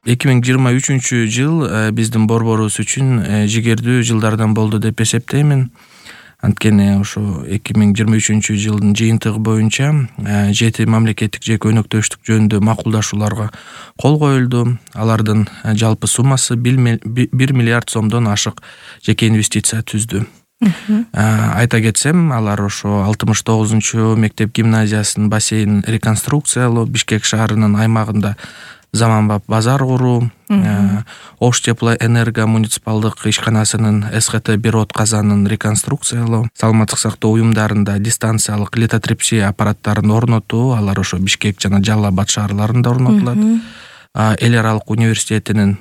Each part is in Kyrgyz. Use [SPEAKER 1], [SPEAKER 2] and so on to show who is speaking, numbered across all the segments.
[SPEAKER 1] 2023 биздин борборубуз үчүн жигердүү жылдардан болду деп эсептеймин. Анткени ошо 2023 жылдын жыйынтыгы боюнча 7 мамлекеттик жеке өнөктөштүк жөнүндө макулдашууларга кол коюлду. Алардын жалпы суммасы 1 миллиард сомдон ашык жеке инвестиция түздү. Айта кетсем, алар ошо 69 мектеп гимназиясынын бассейнин реконструкциялоо, Бишкек шаарынын аймагында заманбап базар куруу, Ош теплоэнерго муниципалдык ишканасынын СХТ-1 от казанын реконструкциялоо, саламаттык сактоо уюмдарында дистанциялык литотрепсия аппараттарын орнотуу, алар ошо Бишкек жана Жалал Абад шаарларында орнотулат. Эл аралык университетинин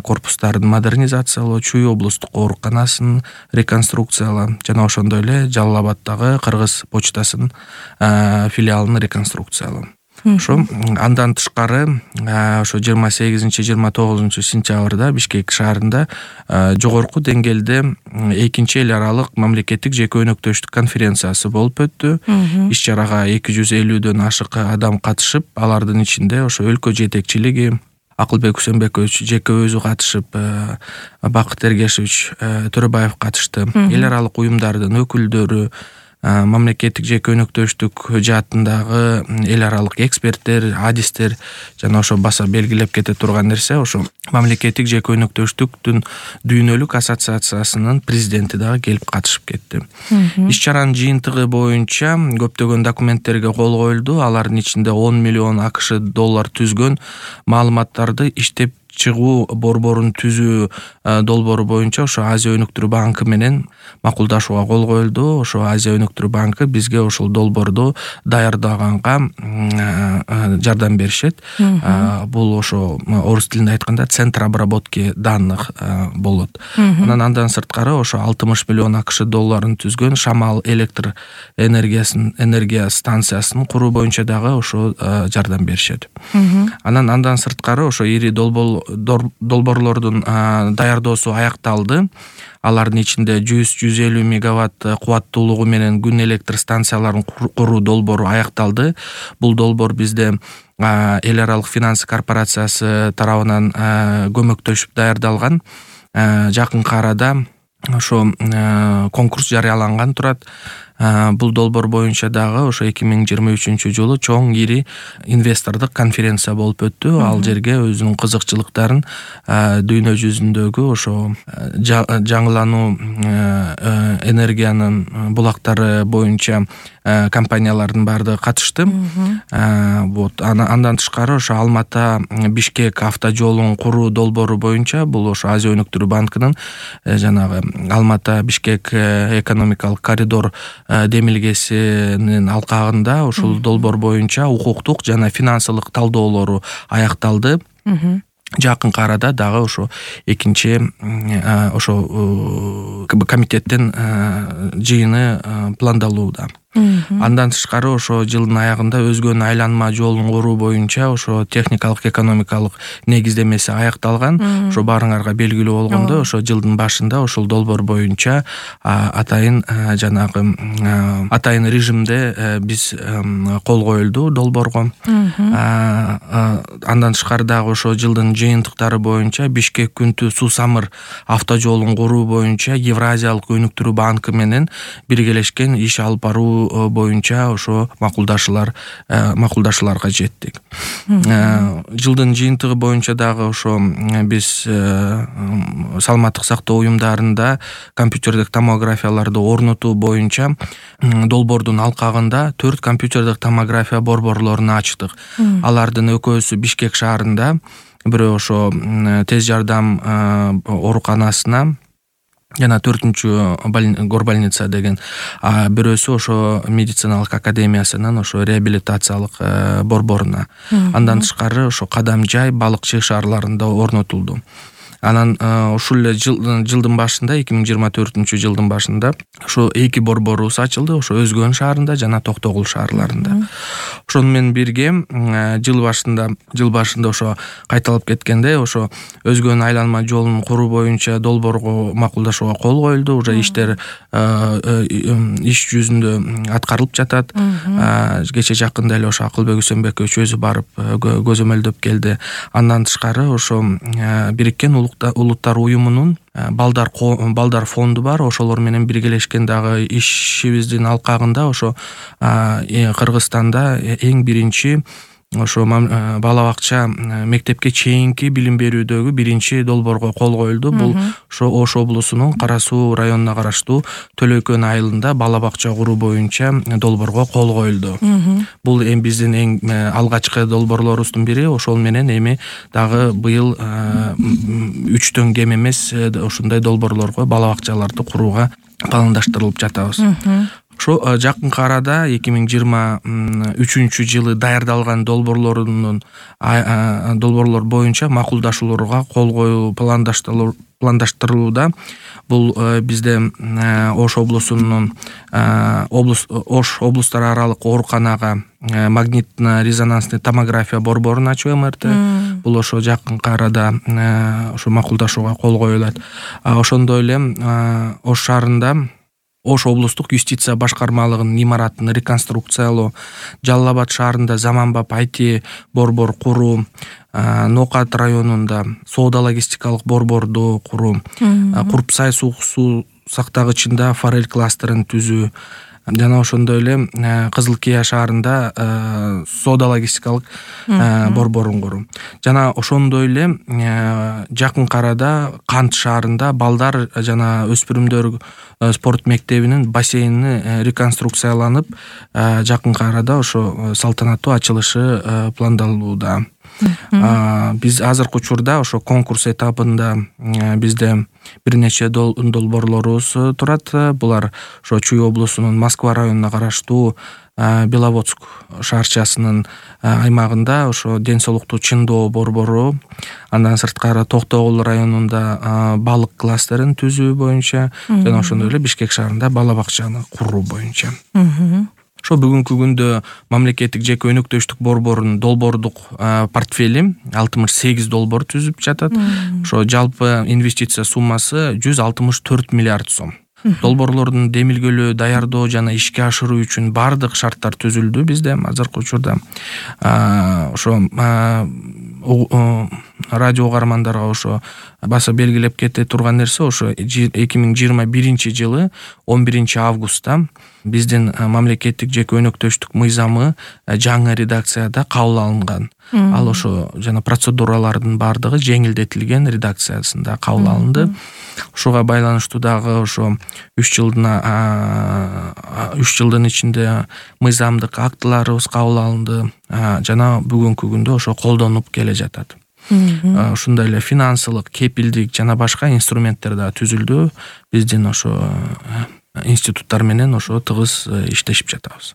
[SPEAKER 1] корпустарын модернизациялоо, Чүй облустук ооруканасын реконструкциялоо жана ошондой эле Жалал Абаддагы Кыргыз почтасынын филиалын реконструкциялоо. Ошо андан тышкары ошо 28-29 сентябрда Бишкек шаарында жогорку деңгээлде экинчи эл аралык мамлекеттик жеке өнөктөштүк конференциясы болуп өттү. Иш чарага 250дөн ашык адам катышып, алардын ичинде ошо өлкө жетекчилиги Акылбек Усенбекович жеке өзү катышып, Бакыт Эргешевич Төрөбаев катышты. Эл аралык уюмдардын өкүлдөрү, мамлекеттик жеке өнөктөштүк жаатындагы эл аралык эксперттер, адистер жана ошо баса белгилеп кете турган нерсе, ошо мамлекеттик жеке өнөктөштүктүн дүйнөлүк ассоциациясынын президенти дагы келип катышып кетти. Иш чаранын жыйынтыгы боюнча көптөгөн документтерге кол коюлду. Алардын ичинде 10 миллион АКШ доллар түзгөн маалыматтарды иштеп чыгуу борборун түзүү долбоору боюнча ошо Азия өнүктүрүү банкы менен макулдашууга кол коюлду. Ошо Азия өнүктүрүү банкы бизге ошол долбоорду даярдаганга жардам беришет. Бул ошо орус тилинде айтканда центр обработки данных болот. Андан сырткары ошо 60 миллион АКШ долларын түзгөн Шамал электр энергия станциясын куруу боюнча дагы ошо жардам беришет. Андан сырткары ошо ири долбоорлордун даярдоосу аякталды. Алардын ичинде 100-150 мегаватт кубаттуулугу менен күн электр станцияларын куруу долбоору аякталды. Бул долбоор бизде эл аралык финанс корпорациясы тарабынан көмөктөшүп даярдалган. Жакынкы арада ошо конкурс жарыяланган турат. Бул долбоор боюнча дагы ошо 2023 жылы чоң ири инвестордук конференция болуп өттү. Ал жерге өзүнүн кызыкчылыктарын дүйнө жүзүндөгү ошо жаңылануу энергиянын булактары боюнча компаниялардын баардыгы катышты. Андан тышкары ошо Алмата Бишкек автожолун куруу долбоору боюнча бул ошо Азия өнүктүрүү банкынын жанагы Алмата Бишкек экономикалык коридор демилгесинин алкагында ушул долбоор боюнча укуктук жана финансылык талдоолору аякталды. Жакынкы арада дагы ошо экинчи ошо комитеттин жыйыны пландалууда. Андан тышкары ошо жылдын аягында өзгөн айланма жолун куруу боюнча ошо техникалык экономикалык негиздемеси аякталган. Ошо баарыңарга белгилүү болгондой, ошо жылдын башында ошол долбоор боюнча атайын режимде биз кол коюлду долбоорго. Андан тышкары дагы ошо жылдын жыйынтыктары боюнча Бишкек Күнтү Суу Самыр автожолун куруу боюнча Евразиялык өнүктүрүү банкы менен биргелешкен иш алып баруу боюнча ошо макулдашууларга жеттик. Жылдын жыйынтыгы боюнча дагы ошо биз саламаттык сактоо уюмдарында компьютердик томографияларды орнотуу боюнча долбоордун алкагында 4 компьютердик томография борборлорун ачтык. Алардын экөөсү Бишкек шаарында, бирөө ошо тез жардам ооруканасына жана 4-чү горбольница деген, бирөөсү ошо медициналык академиясынын ошо реабилитациялык борборуна. Андан тышкары ошо Кадамжай, Балыкчы шаарларында орнотулду. Анан ушул эле жылдын башында 2024 жылдын башында ошо 2 борборубуз ачылды, ошо Өзгөн шаарында жана Токтогул шаарларында. Ошону менен бирге жыл башында ошо кайталап кеткенде ошо өзгөнүн айланма жолун куруу боюнча долбоорго макулдашууга кол коюлду. Уже иштер иш жүзүндө аткарылып жатат. Кече жакында эле ошо Акылбек Үсөнбекович өзү барып көзөмөлдөп келди. Андан тышкары ошо Бириккен Улуттар Уюмунун балдар фонду бар. Ошолор менен биргелешкен дагы ишибиздин алкагында ошо Кыргызстанда эң биринчи ошо бала бакча мектепке чейинки билим берүүдөгү биринчи долбоорго кол коюлду. Бул ошо Ош облусунун Кара Суу районуна караштуу Төлөкөн айылында бала бакча куруу боюнча долбоорго кол коюлду. Бул биздин эң алгачкы долбоорлорубуздун бири. Ошол менен эми дагы быйыл 3төн кем эмес ушундай долбоорлорго бала бакчаларды курууга пландаштырылып жатабыз. Ошо жакынкы арада 2023 жылы даярдалган долбоорлор боюнча макулдашууларга кол коюу пландаштырылууда. Бул бизде Ош облусунун Ош облустар аралык ооруканага магнитно-резонансный томография борборун ачуу МРТ. Бул ошо жакынкы арада ошо макулдашууга кол коюлат. Ошондой эле Ош шаарында Ош облустук юстиция башкармалыгынын имаратын реконструкциялоо, Жалал Абад шаарында заманбап IT борбор куруу, Нокат районунда соода-логистикалык борборду куруу, Курпсай суу сактагычында форель кластерин түзүү, жана ошондой эле Кызыл Кия шаарында соода-логистикалык борборун куруу. Жана ошондой эле жакынкы арада Кант шаарында балдар жана өспүрүмдөр спорт мектебинин бассейни реконструкцияланып, жакынкы арада ошо салтанаттуу ачылышы пландалууда. Биз азыркы учурда ошо конкурс этабында бизде бир нече долбоорлорубуз турат. Булар ошо Чүй облусунун Москва районуна караштуу Беловодск шаарчасынын аймагында ошо ден соолукту чыңдоо борбору, андан сырткары Токтогул районунда балык кластерин түзүү боюнча жана ошондой эле Бишкек шаарында бала бакчаны куруу боюнча. Ошо бүгүнкү күндө мамлекеттик жеке өнөктөштүк борборунун долбоордук портфели 68 долбоор түзүп жатат. Ошо жалпы инвестиция суммасы 164 миллиард сом. Долбоорлордун демилгөлөө, даярдоо жана ишке ашыруу үчүн бардык шарттар түзүлдү бизде азыркы учурда. Ошо радио угармандарга ошо баса белгилеп кете турган нерсе, ошо 2021 жылы 11 августта биздин мамлекеттик жеке өнөктөштүк мыйзамы жаңы редакцияда кабыл алынган. Ал ошо жана процедуралардын бардыгы жеңилдетилген редакциясында кабыл алынды. Ошого байланыштуу дагы ошо 3 жылдын ичинде мыйзамдык актыларыбыз кабыл алынды жана бүгүнкү күндө ошо колдонуп келе жатат. Ушундай эле финансылык, кепилдик жана башка инструменттер да түзүлдү. Биздин ошо институттар менен ошо тыгыз иштешип жатабыз.